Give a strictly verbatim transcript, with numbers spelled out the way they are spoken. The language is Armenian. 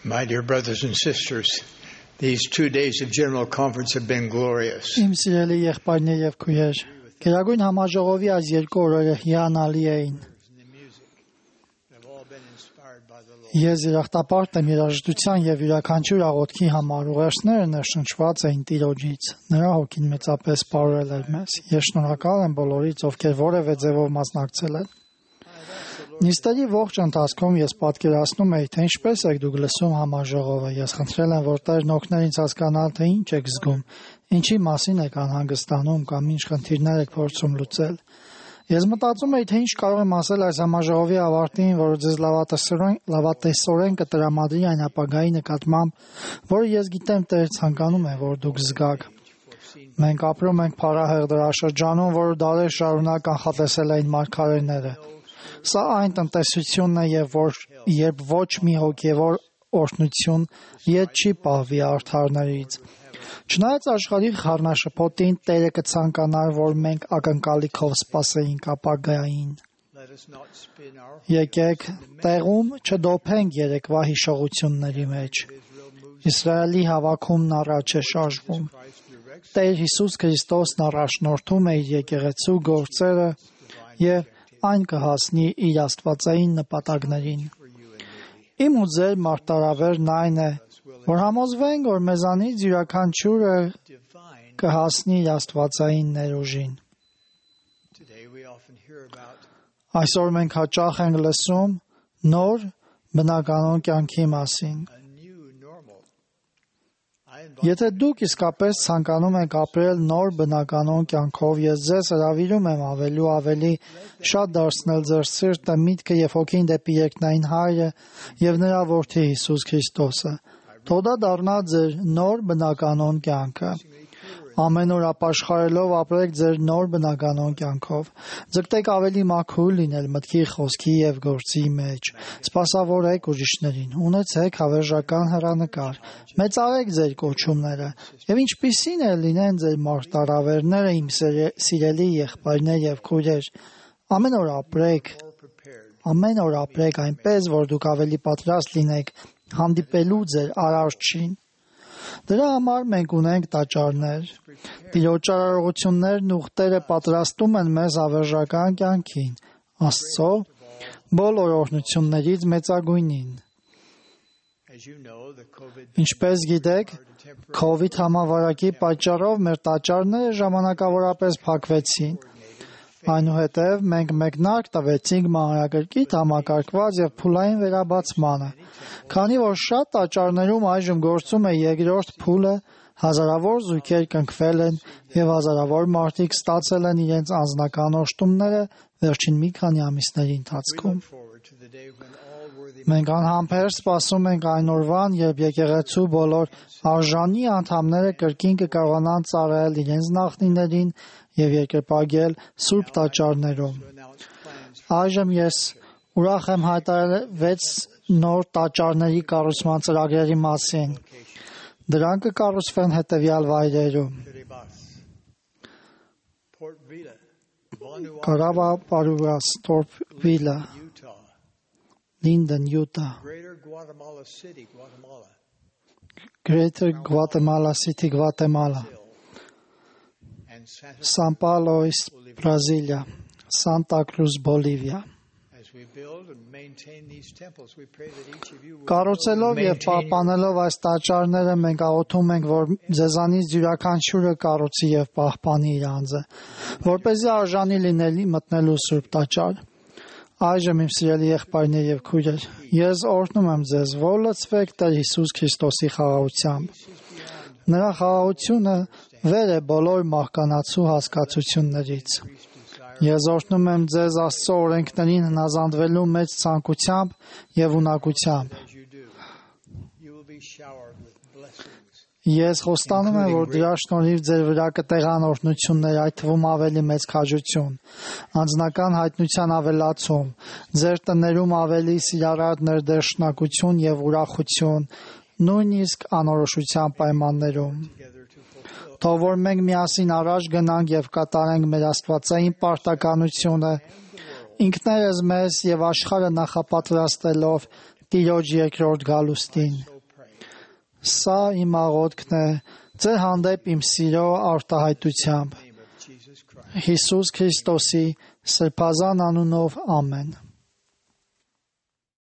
My dear brothers and sisters, these two days of General Conference have been glorious. Իմ սիրելի եղբայրներ եւ քույրեր, Գերագույն համաժողովի այս երկու օրերը հիանալի էին։ Ես երախտապարտ եմ երաժշտության եւ յուրաքանչյուր աղոթքի համար, ուղերձները ներշնչված էին Տիրոջից։ Նրա հոգին մեծապես բարել էր մեզ։ Ես շնորհակալ եմ բոլորից, ովքեր որևէ ձևով մասնակցել են։ Նիստերի ողջ ընթացքում ես պատկերացնում էի, թե ինչպես եք դուք լսում համաժողովը։ Ես խնդրել եմ, որ Տերն օգներ ինձ հասկանալ, թե ինչ եք զգում, ինչի մասին եք անհանգստանում կամ ինչ խնդիրներ եք փորձում լուծել։ Ես մտածում էի, թե ինչ կարող եմ ասել այս համաժողովի ավարտին, որը ձեզ լավատեսորեն, լավատեսորեն կտրամադրի այն ապագայի նկատմամբ, որը ես գիտեմ Տեր ցանկանում է, որ դուք զգաք։ Մենք ապրում ենք փառահեղ դարաշրջանում, որը դարեր շարունակ կանխատեսել էին մարգարեները։ Սա այն տնտեսությունն է, եւ որ երբ ոչ մի հոգևոր օրհնություն ետ չի պահվի արդարներից։ Չնայած աշխարհի խառնաշփոթին, Տերը կցանկանար, որ մենք ակնկալիքով սպասեինք ապագային։ Եկեք տեղում չդոփենք երեկվա հիշողությունների մեջ։ Իսրայելի հավաքումն առաջ է շարժվում։ Տեր Հիսուս Քրիստոսն առաջնորդում է իր եկեղեցու գործերը եւ այն կհասնի իր աստվածային նպատակներին։ Իմ ու ձեր մարտարավերն այն է, որ համոզվենք, որ մեզանից յուրաքանչյուրը կհասնի իր աստվածային ներուժին։ Այսօր մենք հաճախ ենք լսում նոր բնականոն կյանքի մասին։ Եթե դուք իսկապես ցանկանում եք ապրել նոր բնականոն կյանքով, ես ձեզ հրավիրում եմ ավելի ու ավելի շատ դարձնել ձեր սիրտը, միտքը եւ հոգին դեպի երկնային Հայրը եւ նրա Որդի Հիսուս Քրիստոսը։ Թող դա դառնա ձեր նոր բնականոն կյանքը։ Ամեն օր ապաշխարելով ապրեք ձեր նոր բնականոն կյանքով։ Ձգտեք ավելի մաքուր լինել մտքի, խոսքի եւ գործի մեջ։ Սպասավորեք ուրիշներին, ունեցեք հավերժական հեռանկար։ Մեծարեք ձեր կոչումները եւ ինչպիսին է լինեն ձեր մարտարավերները, իմ սիրելի եղբայրներ եւ քույրեր։ Ամեն օր ապրեք, ամեն օր ապրեք այնպես, որ դուք ավելի պատրաստ լինեք հանդիպելու ձեր Արարչին։ Դրա համար մենք ունենք տաճարներ։ Տիրոջ արարողություններն ուխտերը պատրաստում են մեզ հավերժական կյանքին, Աստծո բոլոր օրհնություններից մեծագույնին։ Ինչպես գիտեք, COVID համավարակի պատճառով մեր տաճարները ժամանակավորապես փակվեցին։ Այնուհետև մենք մեկնարկ տվեցինք մանրակրկիտ համակարգված եւ փուլային վերաբացմանը։ Քանի որ շատ տաճարներում այժմ գործում է երկրորդ փուլը, հազարավոր զույգեր կնքվել են եւ հազարավոր մարդիկ ստացել են իրենց անձնական օժտումները վերջին մի քանի ամիսների ընթացքում։ Մենք անհամբեր սպասում ենք այն օրվան, երբ եկեղեցու բոլոր արժանի անդամները կրկին կկարողանան ծառայել իրենց նախնիներին եւ երկրպագել սուրբ տաճարներում։ Այժմ ես ուրախ եմ հայտարարել վեց նոր տաճարների կառուցման ծրագրերի մասին։ Դրանք կկառուցվեն հետևյալ վայրերում. Կարավա Պարուգաս, Թորփվիլը, Linden, Utah, Greater Guatemala City, Guatemala, San Paulo, Brasilia, Santa Cruz, Bolivia։ Կառուցելով եւ պահպանելով այս տաճարները մենք աղոթում ենք, որ ձեզանից յուրաքանչյուրը կառուցի եւ պահպանի իր անձը, որպեսզի արժանի լինելի մտնելու սուրբ տաճար։ Այժմ իմ սիրելի եղբայրներ եւ քույրեր, ես օրհնում եմ ձեզ, որ լցվեք Տեր Հիսուս Քրիստոսի խաղաղությամբ։ Նրա խաղաղությունը վեր է բոլոր մահկանացու հասկացություններից։ Ես օրհնում եմ ձեզ Աստծո օրենքներին հնազանդվելու մեծ ցանկությամբ եւ ունակությամբ։ Ես խոստանում եմ, որ դրա շնորհիվ ձեր վրա կտեղան օրհնություններ, այդ թվում ավելի մեծ քաջություն, անձնական հայտնության ավելացում, ձեր տներում ավելի սիրառատ ներդաշնակություն եւ ուրախություն, նույնիսկ անորոշության պայմաններում։ Թող որ մենք միասին առաջ գնանք եւ կատարենք մեր աստվածային պարտականությունը, ինքներս մեզ եւ աշխարհը նախապատրաստելով Տիրոջ երկրորդ գալուստին։ Սա իմ աղոթքն է ձեր հանդեպ իմ սիրո արտահայտությամբ։ Հիսուս Քրիստոսի սրբազան անունով ամեն։